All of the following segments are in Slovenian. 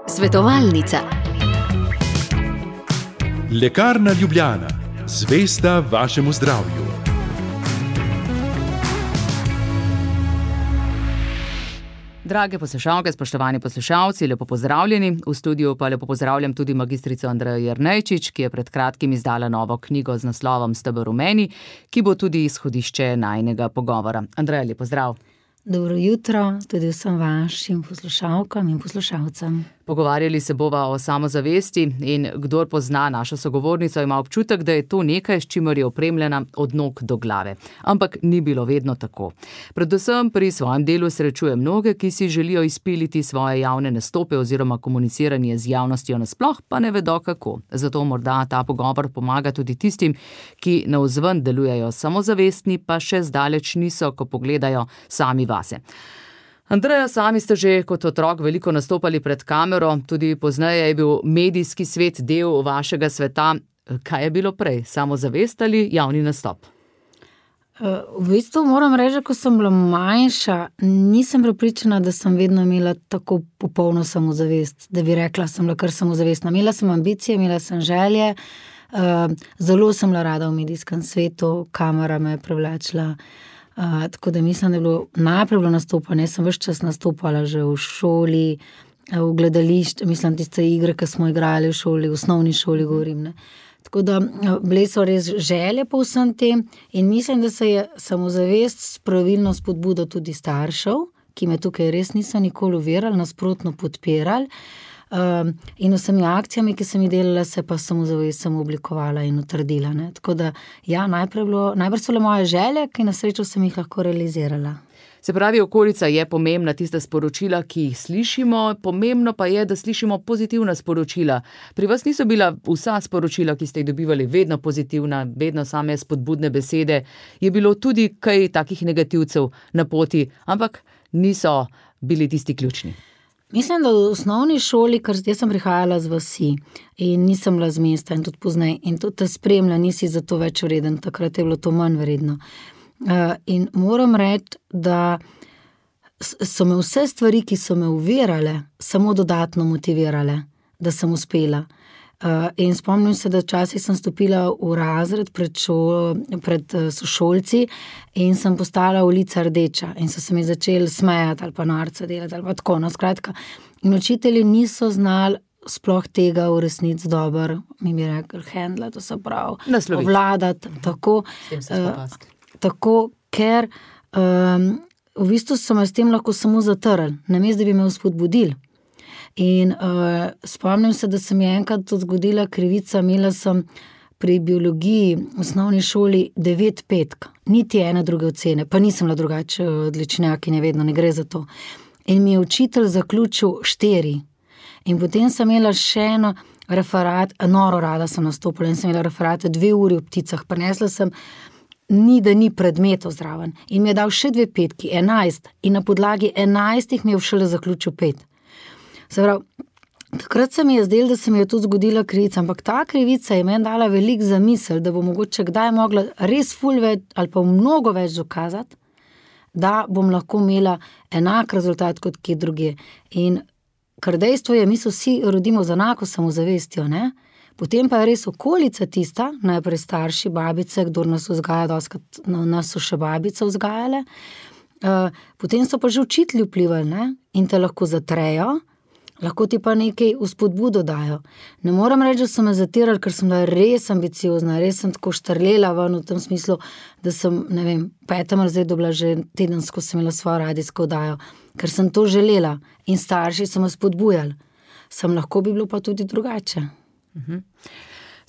Svetovalnica. Lekarna Ljubljana, zvesta vašemu zdravju. Drage poslušalke, spoštovani poslušalci, lepo pozdravljeni. V studiu pa lepo pozdravljam tudi magistrico Andrejo Jernejčič, ki je pred kratkim izdala novo knjigo z naslovom Steber v meni, ki bo tudi izhodišče najinega pogovora. Andreja, lep pozdrav. Dobro jutro tudi vsem vašim poslušalkam in poslušalcem. Pogovarjali se bova o samozavesti in kdor pozna našo sogovornico, ima občutek, da je to nekaj, s čimer je opremljena od nog do glave. Ampak ni bilo vedno tako. Predvsem pri svojem delu srečuje mnoge, ki si želijo izpiliti svoje javne nastope oziroma komuniciranje z javnostjo nasploh, pa ne vedo kako. Zato morda ta pogovor pomaga tudi tistim, ki navzven delujejo samozavestni, pa še zdaleč niso, ko pogledajo sami vase. Andreja, sami ste že kot otrok veliko nastopali pred kamero, tudi pozneje je bil medijski svet del vašega sveta. Kaj je bilo prej, samozavest ali javni nastop? V bistvu moram reči, ko sem bila manjša, nisem prepričana, da sem vedno imela tako popolno samozavest, da bi rekla, sem bila kar samozavestna. Imela sem ambicije, imela sem želje, zelo sem bila rada v medijskem svetu, kamera me je privlačila. Tako da mislim, da je bilo najprej nastopanje. Jaz sem ves čas nastopala že v šoli, v gledališču, mislim, tiste igre, ki smo igrali v šoli, v osnovni šoli govorim, ne. Tako da bile so res želje po vsem tem in mislim, da se je samozavest s pravilno spodbudo tudi staršev, ki me tukaj res niso nikoli uverali, nasprotno podpirali. In vsemi akcijami, ki sem jih delala, se pa samozavest sem oblikovala in utrdila, ne. Tako da, ja, najprej so le moje želje, ki na srečo sem jih lahko realizirala. Se pravi, okolica je pomembna, tista sporočila, ki jih slišimo, pomembno pa je, da slišimo pozitivna sporočila. Pri vas niso bila vsa sporočila, ki ste jih dobivali, vedno pozitivna, vedno same spodbudne besede. Je bilo tudi kaj takih negativcev na poti, ampak niso bili tisti ključni. Mislim, da v osnovni šoli, ker jaz sem prihajala z vasi in nisem bila z mesta in tudi pozneje, in tudi te spremlja, nisi za to več vreden, takrat je bilo to manj vredno. In moram reči, da so me vse stvari, ki so me uverale, samo dodatno motivirale, da sem uspela. In spomnim se, da včasih sem stopila v razred pred sošolci in sem postala ulica rdeča in so se mi začeli smejati ali pa norca delati ali pa tako, no, skratka. In učitelji niso znali sploh tega v resnici dobro, mi bi rekli, handla, to se pravi, obvladati, tako, ker v bistvu so me s tem lahko samo zatrli, namesto da bi me vzpodbudili. In spomnim se, da se mi je enkrat to zgodila krivica, imela sem pri biologiji v osnovni šoli 9 petk, niti ene druge ocene, pa nisem bila drugače odličnjakinja, vedno ne gre za to. In mi je učitelj zaključil 4. In potem sem imela še eno referat, noro rada sem nastopila in sem imela referate 2 uri o pticah, prinesla sem da ni predmetov zraven. In mi je dal še 2 petki, 11, in na podlagi 11 mi je šele zaključil 5. Se pravi, takrat se mi je zdelo, da se mi je tudi zgodila krivica, ampak ta krivica je meni dala veliko zamisel, da bo mogoče kdaj mogla res ful več ali pa mnogo več dokazati, da bom lahko imela enak rezultat kot kje drugje. In kar dejstvo je, mi se vsi rodimo z enako samozavestjo, ne? Potem pa je res okolica tista, najprej starši, babice, kdor nas vzgaja, doskrat nas so še babice vzgajale, potem so pa že učitelji vplivali, ne? In te lahko zatrejo, lahko ti pa nekaj vzpodbudo dajo. Ne moram reči, da so me zatirali, ker sem bila res ambiciozna, res sem tako štrlela ven v tem smislu, da sem, ne vem, 5. razredu bila že tedensko, sem imela svojo radijsko oddajo, ker sem to želela in starši so me spodbujali. Lahko bi bilo pa tudi drugače.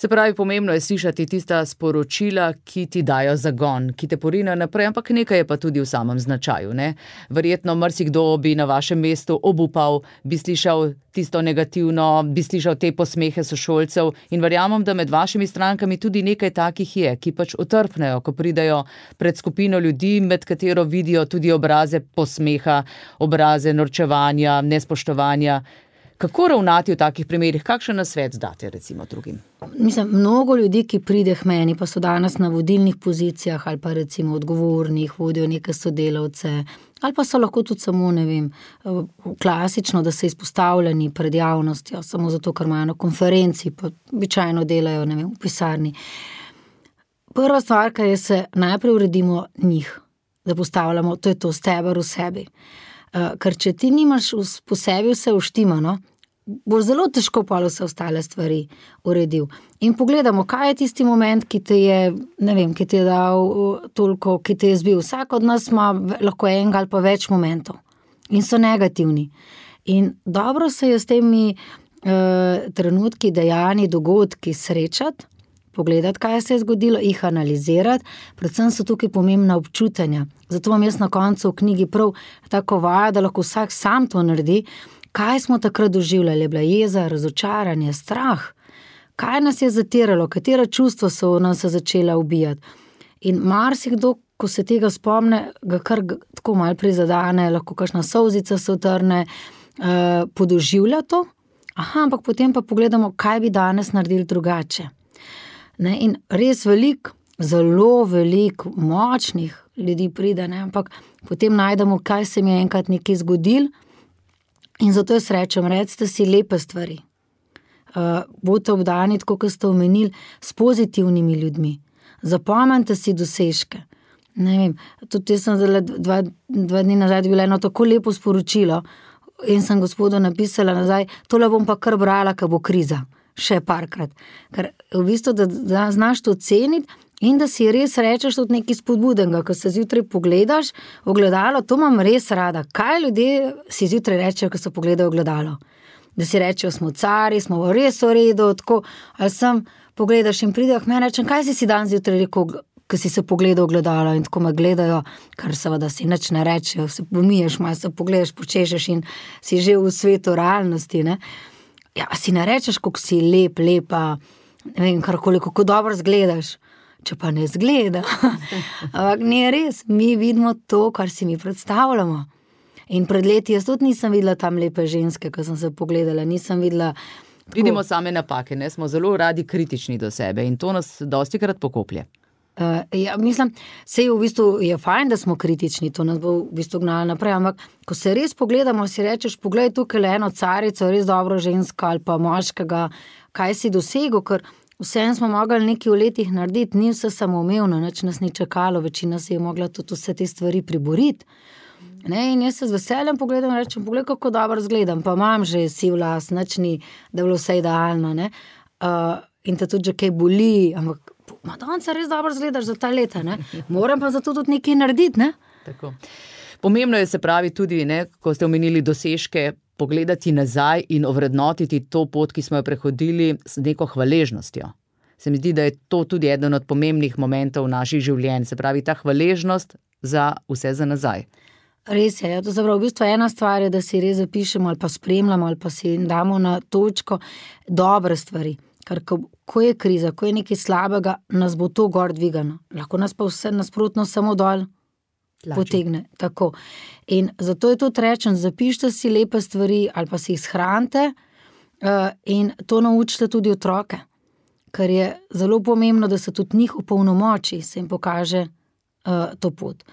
Se pravi, pomembno je slišati tista sporočila, ki ti dajo zagon, ki te porinajo naprej, ampak nekaj je pa tudi v samem značaju, ne? Verjetno marsikdo bi na vašem mestu obupal, bi slišal tisto negativno, bi slišal te posmehe sošolcev in verjamem, da med vašimi strankami tudi nekaj takih je, ki pač utrpnejo, ko pridejo pred skupino ljudi, med katero vidijo tudi obraze posmeha, obraze norčevanja, nespoštovanja. Kako ravnati v takih primerih? Kakšen nasvet date recimo drugim? Mislim, mnogo ljudi, ki pride k meni, pa so danes na vodilnih pozicijah ali pa recimo odgovornih, vodijo neke sodelavce, Ali pa so lahko tudi samo, ne vem, klasično, da so izpostavljeni pred javnostjo, samo zato, ker imajo na konferenci, pa običajno delajo, ne vem, v pisarni. Prva stvar, kar je, se najprej uredimo njih, da postavljamo, to je to, steber v sebi. Ker če ti nimaš po sebi vse uštimano, boš zelo težko pa vse ostale stvari uredil. In pogledamo, kaj je tisti moment, ki te je, ne vem, ki ti je dal toliko, ki te je zbil. Vsak od nas ima lahko enega ali pa več momentov in so negativni. In dobro se je s temi trenutki, dejanji, dogodki srečati, pogledati, kaj se je zgodilo, jih analizirati, predvsem so tukaj pomembna občutanja. Zato vam jaz na koncu v knjigi prav tako vaja, da lahko vsak sam to naredi. Kaj smo takrat doživljali? Je bila jeza, razočaranje, strah? Kaj nas je zatiralo? Katera čustva so nas začela ubijati? In marsikdo, ko se tega spomne, ga kar tako malo prizadane, lahko kakšna solzica se utrne, podoživlja to, ampak potem pa pogledamo, kaj bi danes naredili drugače. Ne? In res zelo veliko močnih ljudi pride, ne? Ampak potem najdemo, kaj se mi je enkrat nekaj zgodilo. In zato jaz rečem, recite si lepe stvari. Bodite obdani, tako kot ste omenili, s pozitivnimi ljudmi. Zapomnite si dosežke. Ne vem, tudi jaz sem dva dni nazaj bila eno tako lepo sporočilo in sem gospodu napisala nazaj, tole bom pa kar brala, ko bo kriza. Še parkrat. Ker v bistvu, da znaš to ceniti in da si res rečeš tudi nekaj spodbudenega, ko se zjutraj pogledaš v ogledalo, to imam res rada. Kaj ljudje si zjutraj rečejo, ko se pogledajo v ogledalo? Da si rečejo, smo cari, smo res v redu, tako, ali sem, pogledaš in pridejo k meni, rečem, kaj si dan zjutraj rekel, ko si se pogledal v ogledalo in tako me gledajo, kar seveda si nič ne rečejo, se pomiješ, malo se pogledaš, počešeš in si že v svetu realnosti, ne? Ja, si ne rečeš, kako si lepa, ne vem, kako dobro zgledaš, če pa ne zgleda. Ampak ni res, mi vidimo to, kar si mi predstavljamo. In pred leti jaz tudi nisem videla tam lepe ženske, ko sem se pogledala, nisem videla... Vidimo same napake, ne? Smo zelo radi kritični do sebe in to nas dostikrat pokoplje. Ja, mislim, sej v bistvu je fajn, da smo kritični, to nas bo v bistvu gnalo naprej, ampak ko se res pogledamo, si rečeš, poglej tukaj eno carico, res dobro žensko ali pa moškega, kaj si dosegel, ker vsem smo mogli nekaj v letih narediti, ni vse samoumevno, nič nas ni čakalo, večina si je mogla tudi vse te stvari priboriti. Ne, in jaz se z veseljem pogledam in rečem, poglej, kako dobro zgledam, pa imam že siv las, nič ni, da je bilo vse idealno, ne. In te tudi že kaj boli, ampak Madonca res dobro zgledaš za ta leta, ne? Moram pa zato tudi nekaj narediti, ne? Tako. Pomembno je, se pravi, tudi, ne, ko ste omenili dosežke, pogledati nazaj in ovrednotiti to pot, ki smo jo prehodili z neko hvaležnostjo. Se mi zdi, da je to tudi eden od pomembnih momentov naših življenj, se pravi, ta hvaležnost za vse za nazaj. Res je, to zapravo v bistvu ena stvar je, da si res zapišemo ali pa spremljamo ali pa si damo na točko dobre stvari. Ker ko je kriza, ko je nekaj slabega, nas bo to gor dvigano. Lahko nas pa vse nasprotno samo dol potegne. Tako. In zato je tudi rečen, zapišite si lepe stvari ali pa si jih shranite in to naučite tudi otroke. Ker je zelo pomembno, da se tudi njih opolnomoči, se jim pokaže to pot.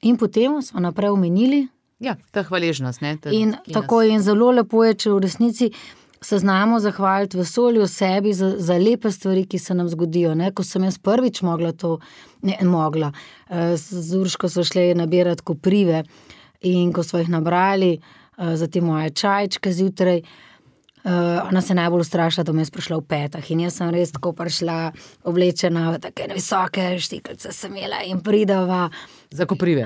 In potem smo naprej omenili. Ja, ta hvaležnost, ne? In tako je, in zelo lepo je, če v resnici se znamo zahvaliti vesolju sebi za lepe stvari, ki se nam zgodijo. Ne? Ko sem jaz prvič mogla, z Urško so šli nabirati koprive in ko so jih nabrali za te moje čajčke zjutraj, ona se najbolj ustrašila, da me je prišla v petah in jaz sem res tako prišla oblečena v take visoke štiklice sem imela in pridava. Za koprive?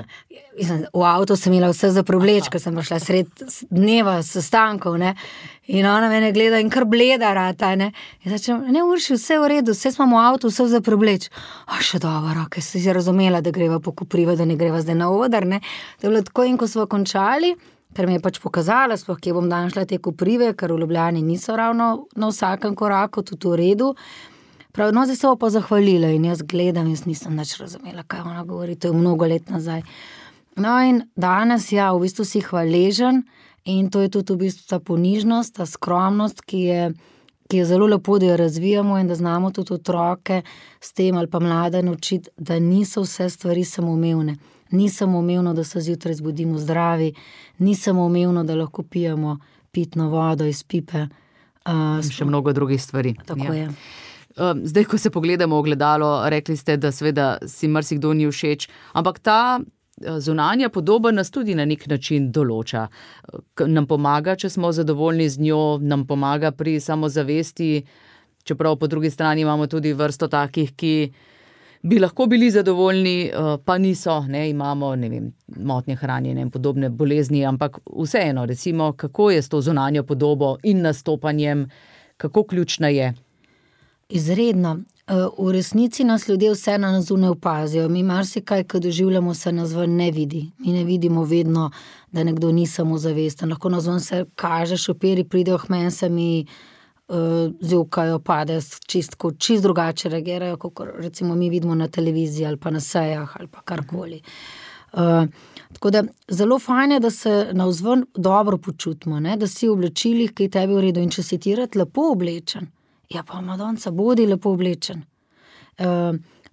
V avto sem imela vse za prevleč, ko sem prišla sred dneva sestankov, ne, in ona mene gleda in kar bleda rata, ne, in začem, ne Urši, vse v redu, vse smo v avtu, vse za prevleč. Še dobro, ker si razumela, da greva po koprive, da ne greva zdaj na oder, ne, to je bilo tako in ko smo končali, ker mi je pač pokazala, sploh kje bom danes šla te koprive, ker v Ljubljani niso ravno na vsakem koraku, tudi v redu. Prav, no, zdaj se bo pa zahvalila in jaz gledam, jaz nisem nič razumela, kaj ona govori, to je mnogo let nazaj. No in danes, ja, v bistvu si hvaležen in to je tudi v bistvu ta ponižnost, ta skromnost, ki je zelo lepo, da jo razvijamo in da znamo tudi otroke s tem ali pa mlade naučiti, da niso vse stvari samoumevne. Ni samoumevno, da se zjutraj zbudimo zdravi, ni samoumevno, da lahko pijemo pitno vodo iz pipe. Še mnogo drugih stvari. Tako je. Zdaj, ko se pogledamo v ogledalo, rekli ste, da seveda si marsikdo ni všeč, ampak ta zunanja podoba nas tudi na nek način določa. Nam pomaga, če smo zadovoljni z njo, nam pomaga pri samozavesti, čeprav po drugi strani imamo tudi vrsto takih, ki bi lahko bili zadovoljni, pa niso, ne, imamo, ne vem, motnje hranjenja in podobne bolezni, ampak vseeno, recimo, kako je s to zunanjo podobo in nastopanjem, kako ključna je? Izredno. V resnici nas ljudje vse na zunaj opazijo. Mi marsikaj, ko doživljamo, se nas ven ne vidi. Mi ne vidimo vedno, da nekdo ni samozavesten. Lahko na zunaj se kaže, šopiri pridejo k meni, se mi zjokajo, padejo, čist drugače reagirajo, kot recimo mi vidimo na televiziji ali pa na sejah ali pa karkoli. Tako da zelo fajn je, da se navzven dobro počutimo, ne? Da si v oblačilih, ki je tebi v redu, in če si ti rad lepo oblečen, ja pa Madonca, bodi lepo oblečen.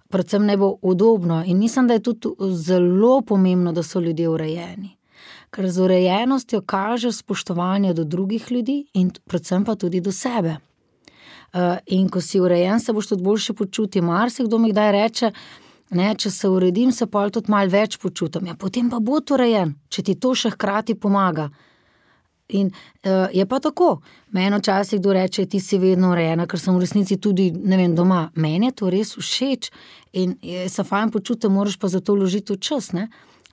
Predvsem naj bo udobno in mislim, da je tudi zelo pomembno, da so ljudje urejeni. Ker z urejenostjo kaže spoštovanje do drugih ljudi in predvsem pa tudi do sebe. In ko si urejen, se boš tudi boljše počutil. Marsikdo mi kdaj reče, ne, če se uredim, se pol tudi malo več počutim. Ja, potem pa bo urejen, če ti to še hkrati pomaga. In je pa tako. Meni včasih kdo reče, ti si vedno urejena, ker sem v resnici tudi, ne vem, doma. Meni je to res všeč in se fajn počutim, moraš pa za to vložiti v čas, ne.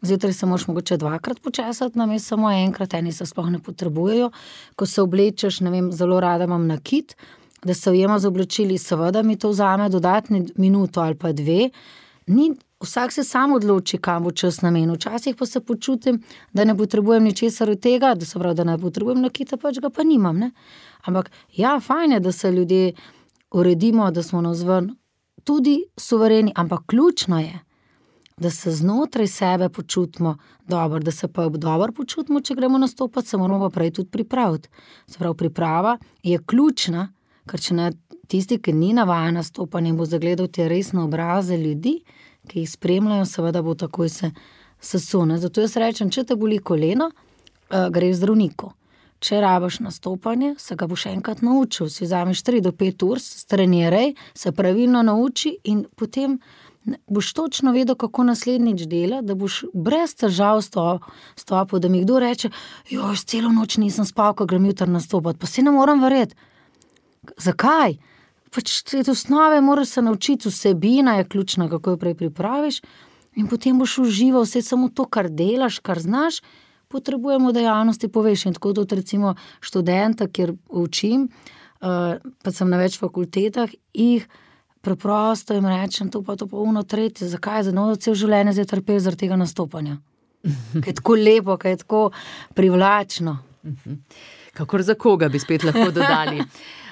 Zjutraj se moraš mogoče 2-krat počesati, namesto samo enkrat, eni se sploh ne potrebujejo. Ko se oblečeš, ne vem, zelo rada imam nakit, da se ujema z oblačili, seveda mi to vzame dodatni minuto ali pa 2. Vsak se sam odloči, kam bo čas namenil. Včasih pa se počutim, da ne potrebujem ničesar od tega, da se pravi, da ne potrebujem nakita, pač ga pa nimam, ne. Ampak ja, fajn je, da se ljudje uredimo, da smo navzven tudi suvereni, ampak ključno je, da se znotraj sebe počutimo dobro, da se pa dobro počutimo, če gremo nastopati, se moramo pa prej tudi pripraviti. Se pravi, priprava je ključna, ker če ne tisti, ki ni navajen nastopanje in bo zagledal te resne obraze ljudi, ki jih spremljajo, seveda bo takoj se sesune. Zato jaz rečem, če te boli koleno, greš zdravniku. Če rabiš nastopanje, se ga boš enkrat naučil. Si vzameš 3 do 5 ur, streniraj, se pravilno nauči in potem boš točno vedel, kako naslednjič dela, da boš brez težav stopil, da mi kdo reče, joj, celo noč nisem spal, ko grem jutri nastopati, pa si ne moram verjeti. Zakaj? Pač te osnove moraš se naučiti, vsebina je ključna, kako jo prej pripraviš in potem boš užival vse samo to, kar delaš, kar znaš, potrebujemo dejavnosti poveš. In tako tudi recimo študenta, kjer učim, pa sem na več fakultetah, jih preprosto jim rečem, to pa ono tretje, zakaj je za novo cel življenje zdaj trpel zaradi tega nastopanja? Kaj je tako lepo, kaj je tako privlačno. Kakor za koga bi spet lahko dodali.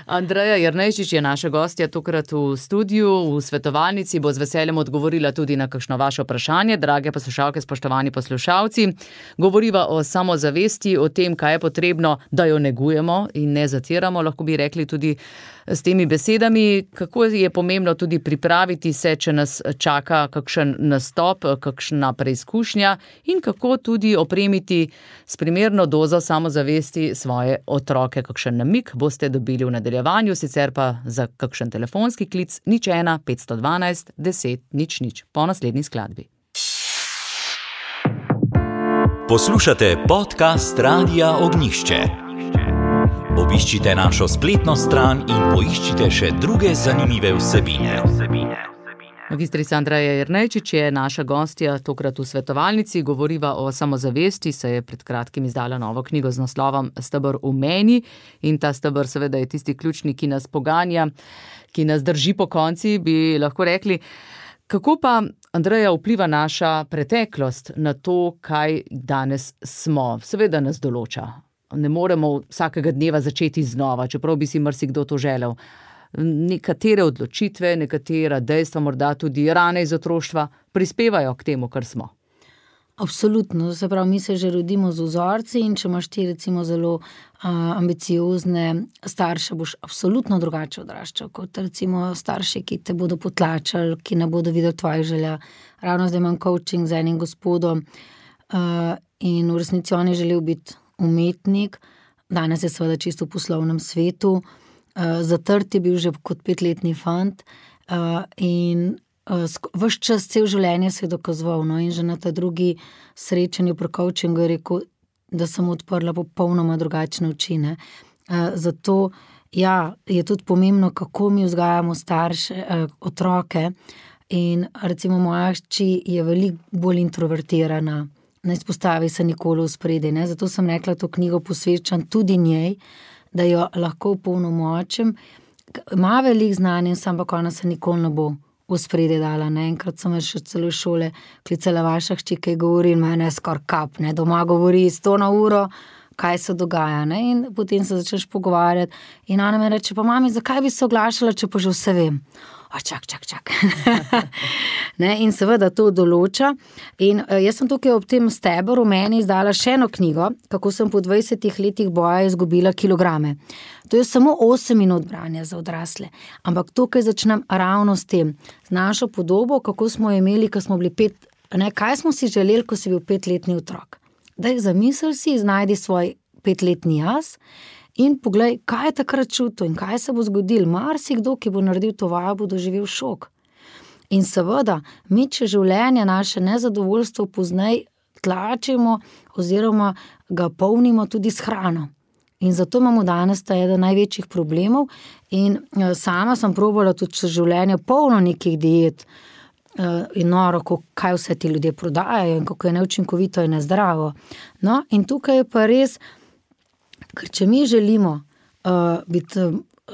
Andreja Jernejčič je naša gostja tokrat v studiu, v svetovalnici, bo z veseljem odgovorila tudi na kakšno vaše vprašanje. Drage poslušalke, spoštovani poslušalci, govoriva o samozavesti, o tem, kaj je potrebno, da jo negujemo in ne zatiramo, lahko bi rekli tudi s temi besedami, kako je pomembno tudi pripraviti se, če nas čaka kakšen nastop, kakšna preizkušnja in kako tudi opremiti s primerno dozo samozavesti svoje otroke. Kakšen namig boste dobili v nadaljevanju, sicer pa za kakšen telefonski klic 01 512 10 00 po naslednji skladbi. Poslušate podcast Radia Ognjišče. Obiščite našo spletno stran in poiščite še druge zanimive vsebine. Magistrica Andreja Jernejčič je naša gostja tokrat v svetovalnici, govoriva o samozavesti, se je pred kratkim izdala novo knjigo z naslovom Steber v meni in ta steber seveda je tisti ključni, ki nas poganja, ki nas drži po konci, bi lahko rekli. Kako pa, Andreja, vpliva naša preteklost na to, kaj danes smo? Seveda nas določa. Ne moremo vsakega dneva začeti znova, čeprav bi si marsikdo to želel. Nekatere odločitve, nekatera dejstva, morda tudi rane iz otroštva, prispevajo k temu, kar smo. Absolutno, se pravi, mi se že rodimo z vzorci in če imaš ti recimo zelo ambiciozne starše, boš absolutno drugače odraščal, kot recimo starši, ki te bodo potlačali, ki ne bodo videli tvojih želja. Ravno zdaj imam coaching z enim gospodom in v resnici on je želel biti umetnik, danes je seveda čisto v poslovnem svetu, zatrt je bil že kot 5-letni fant in ves čas, cel življenje se je dokazoval, no, in že na ta drugi srečanju pri coachingu je rekel, da sem odprla popolnoma drugačne oči, ne. Zato, ja, je tudi pomembno, kako mi vzgajamo starše, otroke in recimo moja hči je veliko bolj introvertirana, ne izpostavi se nikoli v spredje, ne, zato sem rekla, to knjigo posvečam tudi njej, da jo lahko opolnomočim, ima veliko znanja, ampak ona se nikoli ne bo v spredje dala, ne, enkrat sem še celo šole klicala vaša hči, ki govori in mene skoraj kap, ne, doma govori 100 na uro, kaj se dogaja, ne, in potem se začneš pogovarjati in ona me reče, pa mami, zakaj bi se oglašala, če pa že vse vem? Čak. Ne, in seveda to določa in jaz sem tukaj ob tem stebru meni izdala še eno knjigo, kako sem po 20 letih boja izgubila kilograme. To je samo 8 minut branja za odrasle, ampak tukaj začnem ravno s tem, z našo podobo, kako smo imeli, ko smo bili 5, ne, kaj smo si želeli, ko si bil 5-letni otrok. Daj zamisli si, znajdi svoj 5-letni jaz in poglej, kaj je takrat čutil in kaj se bo zgodil. Marsikdo, ki bo naredil to vajo, bo doživel šok. In seveda, mi če življenje naše nezadovoljstvo pozneje tlačimo oziroma ga polnimo tudi s hrano. In zato imamo danes ta eden največjih problemov in sama sem probala tudi čez življenje polno nekih diet in noro, kaj vse ti ljudje prodajajo in kako je neučinkovito in nezdravo. No, in tukaj je pa res, ker če mi želimo biti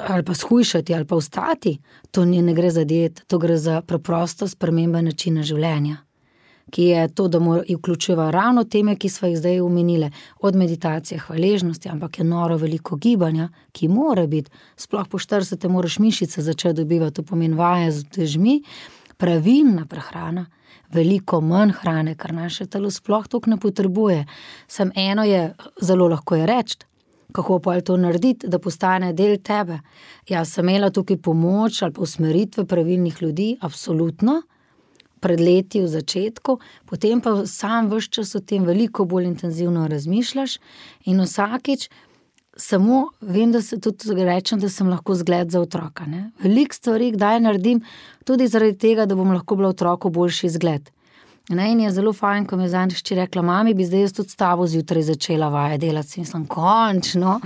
ali pa shujšati ali pa ostati, to ne gre za diet, to gre za preprosto spremembe načina življenja, ki je to, da vključuje ravno teme, ki sva jih zdaj omenile, od meditacije, hvaležnosti, ampak je noro veliko gibanja, ki mora biti, sploh po 40 moraš mišice začeti dobivati, to pomeni vaje z utežmi, pravilna prehrana, veliko manj hrane, kar naše telo sploh toliko ne potrebuje. Samo eno je, zelo lahko je reči, kako pa je to narediti, da postane del tebe. Jaz sem imela tukaj pomoč ali pa usmeritve pravilnih ljudi, absolutno, pred leti v začetku, potem pa sam ves čas o tem veliko bolj intenzivno razmišljaš in vsakič samo vem, da se tudi rečem, da sem lahko zgled za otroka, ne. Veliko stvari kdaj naredim tudi zaradi tega, da bom lahko bila otroku boljši zgled. Ne, in je zelo fajn, ko mi je zadnjič hči rekla, mami, bi zdaj jaz tudi s tabo zjutraj začela vaje delati, in sem končno,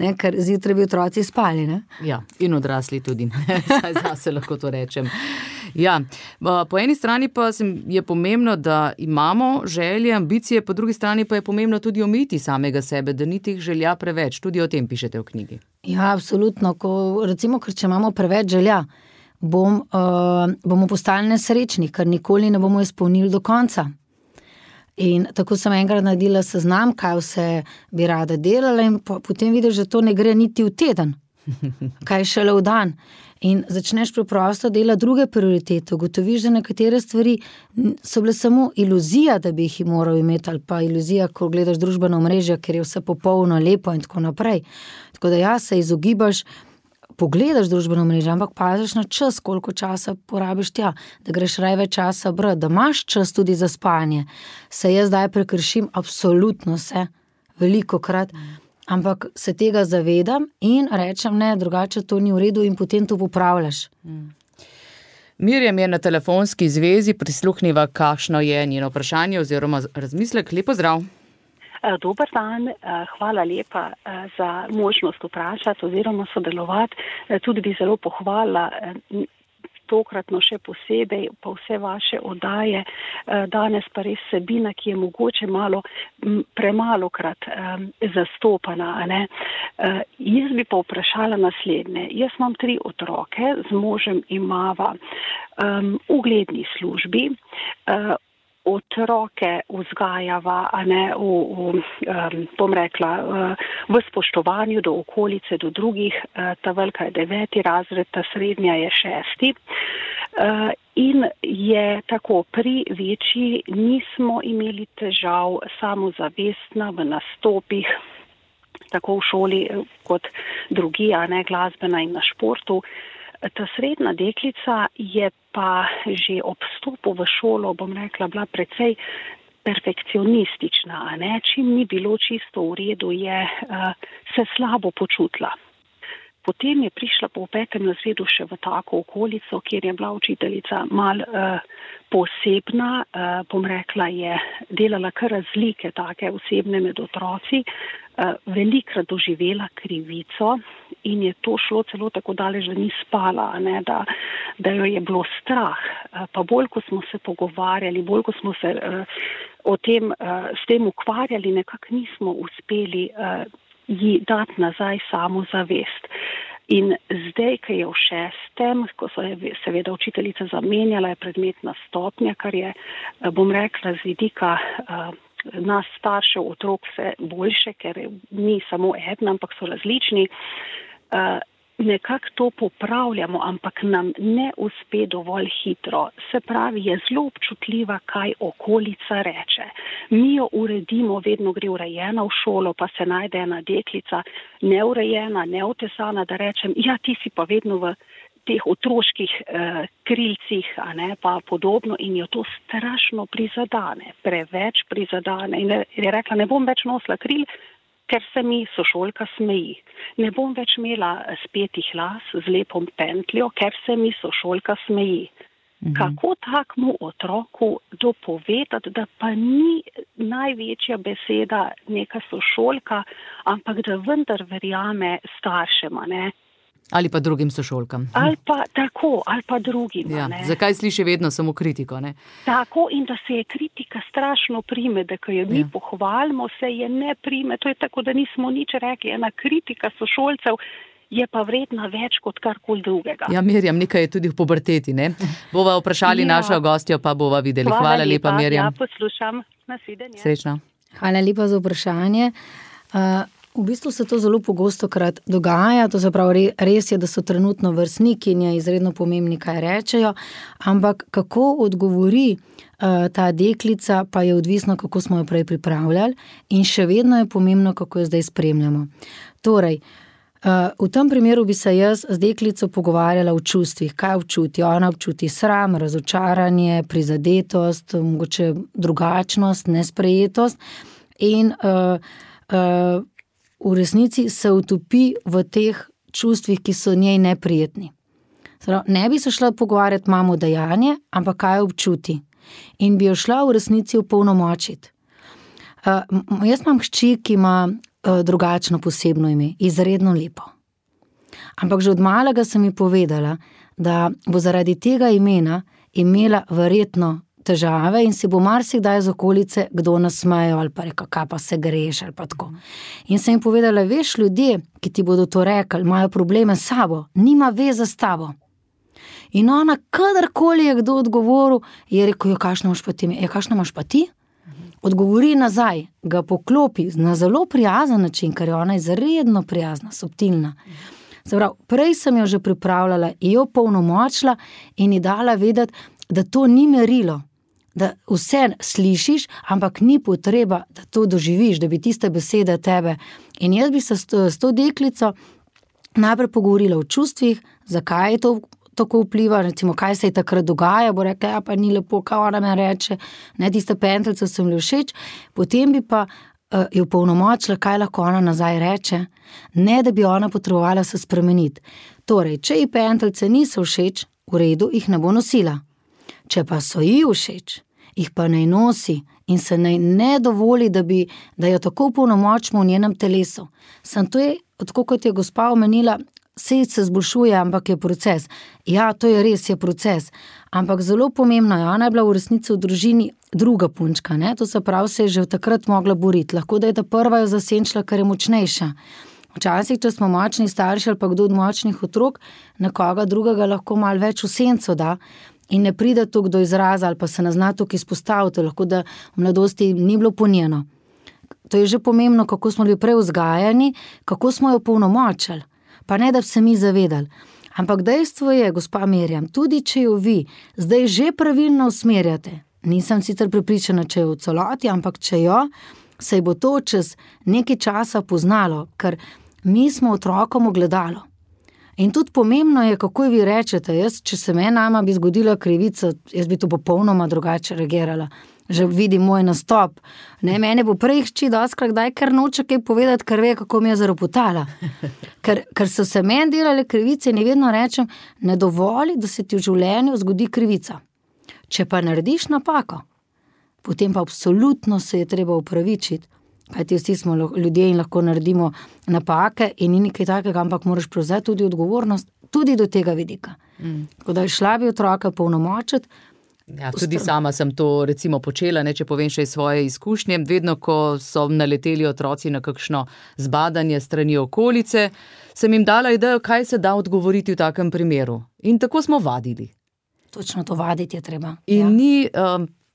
ne, ker zjutraj bi otroci spali, ne. Ja, in odrasli tudi, saj zase lahko to rečem. Ja, po eni strani pa je pomembno, da imamo želje, ambicije, po drugi strani pa je pomembno tudi omejiti samega sebe, da ni teh želja preveč, tudi o tem pišete v knjigi. Ja, absolutno, recimo, ker če imamo preveč želja, bomo postali nesrečni, ker nikoli ne bomo izpolnili do konca. In tako sem enkrat naredila seznam, kaj vse bi rada delala in potem vidiš, da to ne gre niti v teden, kaj šele v dan. In začneš preprosto delati druge prioritete, ugotoviš, da nekatere stvari so bile samo iluzija, da bi jih moral imeti, ali pa iluzija, ko gledaš družbeno omrežje, ker je vse popolno, lepo in tako naprej. Tako da ja, se izogibaš, pogledaš družbeno mrežo, ampak paziš na čas, koliko časa porabiš tja, da greš raje več časa brati, da imaš čas tudi za spanje. Se jaz zdaj prekršim absolutno se, velikokrat, ampak se tega zavedam in rečem ne, drugače to ni v redu in potem to popravljaš. Mirjam je na telefonski zvezi, prisluhniva, kakšno je njeno vprašanje oziroma razmislek. Lep pozdrav. Dober dan, hvala lepa za možnost vprašati oziroma sodelovati. Tudi bi zelo pohvalila tokratno še posebej pa vse vaše oddaje. Danes pa res vsebina, ki je mogoče premalokrat zastopana. Ne? Jaz bi pa vprašala naslednje. Jaz imam 3 otroke, z možem imava ugledni službi, otroke vzgajava, a ne, v spoštovanju do okolice, do drugih. Ta velika je 9. razred, ta srednja je 6. In je tako, pri večji nismo imeli težav, samozavestna v nastopih, tako v šoli kot drugi, a ne, glasbena in na športu. Ta srednja deklica je pa že ob vstopu v šolo, bom rekla, bila precej perfekcionistična, a ne, čim ni bilo čisto v redu, je se slabo počutila. Potem je prišla po 5. razredu še v tako okolico, kjer je bila učiteljica malo posebna, bom rekla, je delala kar razlike take osebne med otroci, velikrat doživela krivico in je to šlo celo tako daleč, da ni spala, ne, da jo je bilo strah. Pa bolj, ko smo se pogovarjali, bolj, ko smo se s tem ukvarjali, nekako nismo uspeli ji dati nazaj samozavest. In zdaj, ko je v 6., ko so je seveda učiteljica zamenjala, je predmetna stopnja, kar je, bom rekla, z vidika nas staršev, otrok vse boljše, ker ni samo eden, ampak so različni. Nekako to popravljamo, ampak nam ne uspe dovolj hitro. Se pravi, je zelo občutljiva, kaj okolica reče. Mi jo uredimo, vedno gre urejena v šolo, pa se najde ena deklica neurejena, neotesana, da rečem, ja, ti si pa vedno v teh otroških krilcih, a ne, pa podobno, in jo to strašno prizadane, preveč prizadane. In je rekla, ne bom več nosila kril, ker se mi sošolka smeji. Ne bom več imela spetih las z lepom pentljo, ker se mi sošolka smeji. Kako takmu otroku dopovedati, da pa ni največja beseda neka sošolka, ampak da vendar verjame staršema, ne? Ali pa drugim sošolkam. Ali pa tako, ali pa drugim. Ja, zakaj sliši vedno samo kritiko, ne? Tako, in da se je kritika strašno prime, da ko jo mi pohvalimo, se je ne prime. To je tako, da nismo nič rekli. Ena kritika sošolcev je pa vredna več kot karkoli drugega. Ja, Mirjam, nekaj je tudi v puberteti, ne? Bova vprašali našo gostjo, pa bova videli. Hvala lepa, Mirjam. Ja, poslušam. Nasvidenje. Srečno. Hvala lepa za vprašanje. V bistvu se to zelo pogosto krat dogaja, to se pravi, res je, da so trenutno vrstniki in je izredno pomembni, kaj rečejo, ampak kako odgovori ta deklica, pa je odvisno, kako smo jo prej pripravljali, in še vedno je pomembno, kako jo zdaj spremljamo. Torej, v tem primeru bi se jaz z deklico pogovarjala o čustvih, kaj občuti. Ona občuti sram, razočaranje, prizadetost, mogoče drugačnost, nesprejetost in v resnici se utopi v teh čustvih, ki so njej neprijetni. Ne bi se šla pogovarjati mamo dejanje, ampak kaj občuti. In bi jo šla v resnici opolnomočiti. Jaz imam hčer, ki ima drugačno posebno ime, izredno lepo. Ampak že od malega sem ji povedala, da bo zaradi tega imena imela verjetno težave in si bo marsikdaj z okolice kdo nasmejal ali pa rekel, kaj pa se greš ali pa tako. In sem jim povedala, veš, ljudje, ki ti bodo to rekli, imajo probleme s sabo, nima veze s tabo. In ona, kadarkoli je kdo odgovoril, je rekel, kakšno imaš pa ti? Kakšno imaš pa ti? Odgovori nazaj, ga poklopi na zelo prijazen način, ker je ona izredno prijazna, subtilna. Prej sem jo že pripravljala, jo polnomočila in ji dala vedeti, da to ni merilo, da vse slišiš, ampak ni potreba, da to doživiš, da bi tiste besede tebe. In jaz bi se s to deklico najprej pogovorila o čustvih, zakaj je to tako vpliva, recimo, kaj se je takrat dogaja, bo rekla, ja, pa ni lepo, kaj ona me reče, ne, tiste pentljice so mi všeč, potem bi pa jo polnomočila, kaj lahko ona nazaj reče, ne, da bi ona potrebovala se spremeniti. Torej, če ji pentljice niso všeč, v redu, jih ne bo nosila. Če pa so ji všeč, jih pa naj nosi in se naj ne dovoli, da jo tako polnomočimo v njenem telesu. Sam to je, tako kot je gospa omenila, se zboljšuje, ampak je proces. Ja, to je res, je proces. Ampak zelo pomembno je, ona je bila v resnici v družini druga punčka, ne? To se pravi, se je že takrat mogla boriti. Lahko, da je ta prva jo zasenčila, ker je močnejša. Včasih, če smo močni starši ali pa kdo od močnih otrok, nekoga drugega lahko malo več v senco da in ne pride toliko do izraza ali pa se ne zna toliko izpostaviti, lahko da v mladosti ni bilo ponjeno. To je že pomembno, kako smo bili prej vzgajani, kako smo jo polnomočili, pa ne da bi se mi zavedali. Ampak dejstvo je, gospa Mirjam, tudi če jo vi zdaj že pravilno usmerjate, nisem sicer prepričana, če jo v celoti, ampak če jo, se bo to čez nekaj časa poznalo, ker mi smo otrokom ogledalo. In tudi pomembno je, kako vi rečete, če se nama bi zgodila krivica, jaz bi to popolnoma drugače reagirala. Že vidim moj nastop. Ne, mene bo prej hči doskrat kdaj, ker noče kaj povedati, ker ve, kako mi je zaropotala. Ker so se meni delale krivice in vedno rečem, ne dovoli, da se ti v življenju zgodi krivica. Če pa narediš napako, potem pa absolutno se je treba upravičiti. Kajti vsi smo ljudje in lahko naredimo napake in ni nekaj takega, ampak moraš prevzeti tudi odgovornost, tudi do tega vidika. Tako da šla bi otroka polnomočiti. Ja, tudi sama sem to recimo počela, če povem še iz svoje izkušnje. Vedno, ko so naleteli otroci na kakšno zbadanje strani okolice, sem jim dala idejo, kaj se da odgovoriti v takem primeru. In tako smo vadili. Točno to vaditi je treba. In ni...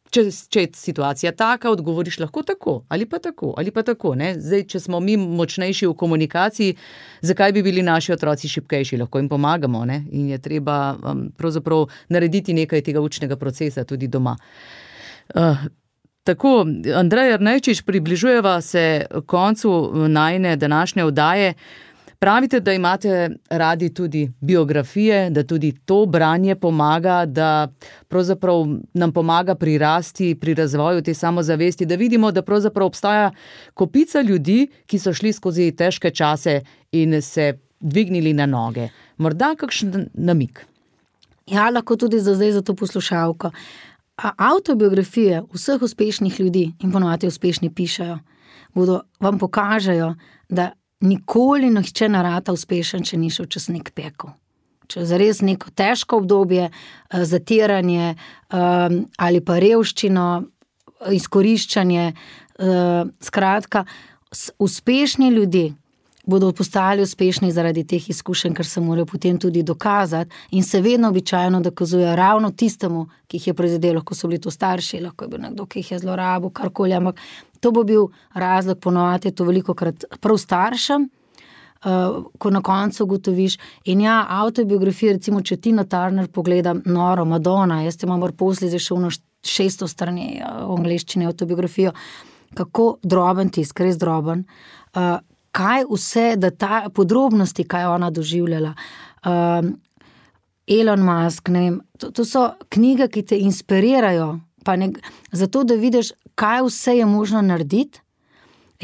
Če je situacija taka, odgovoriš lahko tako, ali pa tako, ali pa tako. Ne? Zdaj, če smo mi močnejši v komunikaciji, zakaj bi bili naši otroci šibkejši? Lahko jim pomagamo, ne? In je treba pravzaprav narediti nekaj tega učnega procesa tudi doma. Tako, Andrej Ernejčič, približujeva se koncu najine današnje oddaje. Pravite, da imate radi tudi biografije, da tudi to branje pomaga, da pravzaprav nam pomaga prirasti pri razvoju te samozavesti, da vidimo, da pravzaprav obstaja kopica ljudi, ki so šli skozi težke čase in se dvignili na noge. Morda kakšen namig? Ja, lahko tudi zdaj za to poslušalko. Avtobiografije vseh uspešnih ljudi, in ponovadi uspešni pišejo, vam pokažejo, da nikoli nihče ne rata uspešen, če ni šel čez nek pekel. Če je zares neko težko obdobje, zatiranje ali pa revščino, izkoriščanje, skratka, uspešni ljudje bodo postali uspešni zaradi teh izkušenj, ker se morajo potem tudi dokazati in se vedno običajno dokazujejo ravno tistemu, ki jih je prizadelo, lahko so bili to starši, lahko je bil nekdo, ki jih je zlorabil, karkoli, ampak to bo bil razlog, ponovadi je to velikokrat prav staršem, ko na koncu ugotoviš. In ja, avtobiografije, recimo, če Tina Turner pogledam, noro, Madonna, jaz te imam posli zašel na 600 strani v angleščini avtobiografijo, kako droben tisk, res droben, kaj vse, da ta podrobnosti, kaj ona doživljala. Elon Musk, ne vem, to so knjige, ki te inspirirajo, zato, da vidiš, kaj vse je možno narediti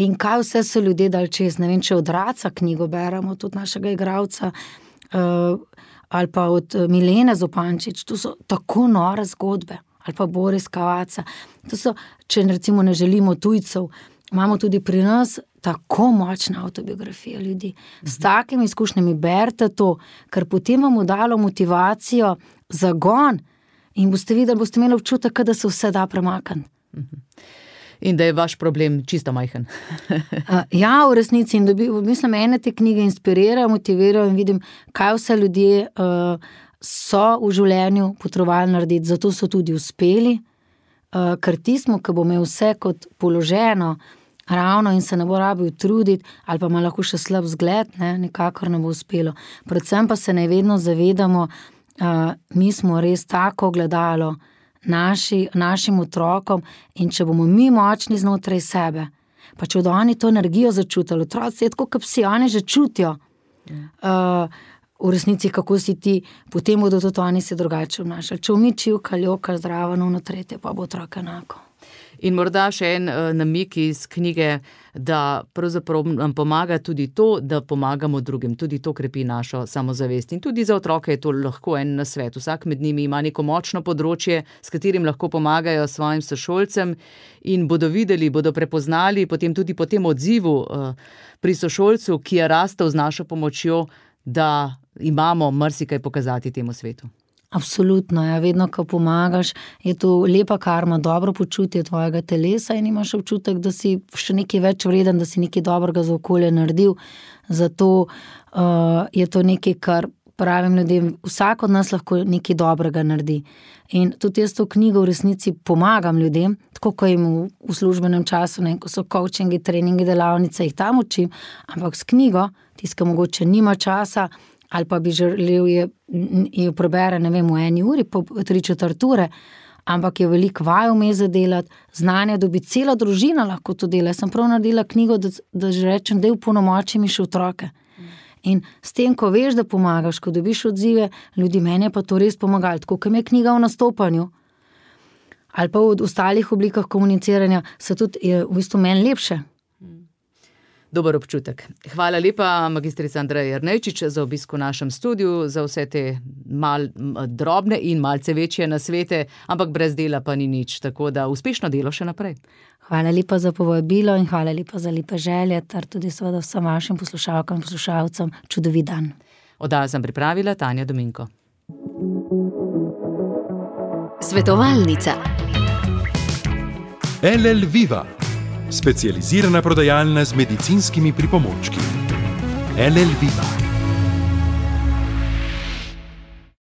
in kaj vse so ljudje dali čez. Ne vem, če od Raca knjigo beremo, tudi našega igralca, ali pa od Milene Zupančič, to so tako nore zgodbe, ali pa Boris Kavaca. To so, če recimo ne želimo tujcev, imamo tudi pri nas tako močne avtobiografije ljudi. S takimi izkušnjami berite to, ker potem vam dalo motivacijo, zagon in boste videli, boste imeli občutek, da se vse da premakniti. In da je vaš problem čisto majhen. Ja, v resnici. In mislim, ene te knjige inspirirajo, motivirajo in vidim, kaj vse ljudje so v življenju potrebovali narediti. Zato so tudi uspeli, ker tismo, ki bo imel vse kot položeno, ravno in se ne bo rabil truditi, ali pa ima lahko še slab zgled, nikakor ne bo uspelo. Predvsem pa se ne vedno zavedamo, mi smo res tako gledalo našim otrokom in če bomo mi močni znotraj sebe, pa če bodo oni to energijo začutili, otroci je tako, kot psi, oni že čutijo v resnici, kako si ti, potem bodo tudi oni se drugače obnašali. Če mi čivka, ljoka, zdrava, no tretje, pa bo otrok enako. In morda še en namig iz knjige, da pravzaprav nam pomaga tudi to, da pomagamo drugim. Tudi to krepi našo samozavest. In tudi za otroke je to lahko en nasvet. Vsak med njimi ima neko močno področje, s katerim lahko pomagajo svojim sošolcem in bodo videli, bodo prepoznali potem tudi po tem odzivu pri sošolcu, ki je rastel z našo pomočjo, da imamo marsikaj pokazati temu svetu. Absolutno, ja, vedno, ko pomagaš, je to lepa karma, dobro počutje tvojega telesa in imaš občutek, da si še nekaj več vreden, da si nekaj dobrega za okolje naredil. Zato je to nekaj, kar pravim ljudem, vsak od nas lahko nekaj dobrega naredi. In tudi jaz to knjigo v resnici pomagam ljudem, tako ko jim v službenem času, ko so coachingi, treningi, delavnice, jih tam učim, ampak s knjigo, tiska mogoče nima časa, ali pa bi želel jo prebere, v 1 uri, po 3/4 ure, ampak je veliko vaj vmes za delati, znanje dobi, cela družina lahko to dela. Jaz sem prav naredila knjigo, da že rečem, da opolnomoči mi še otroke. In s tem, ko veš, da pomagaš, ko dobiš odzive ljudi, meni je pa to res pomagalo, tako kot je knjiga v nastopanju, ali pa v ostalih oblikah komuniciranja, se tudi je v bistvu meni lepše. Dober občutek. Hvala lepa, magistrica Andreja Jernejčič, za obisk v našem studiu, za vse te drobne in malce večje nasvete, ampak brez dela pa ni nič, tako da uspešno delo še naprej. Hvala lepa za povabilo in hvala lepa za lepe želje, ter tudi seveda vsem vašim poslušalkam in poslušalcem čudovit dan. Oddajo sem pripravila Tanja Dominko. Svetovalnica. LL Viva, specializirana prodajalna z medicinskimi pripomočki. LL Viva.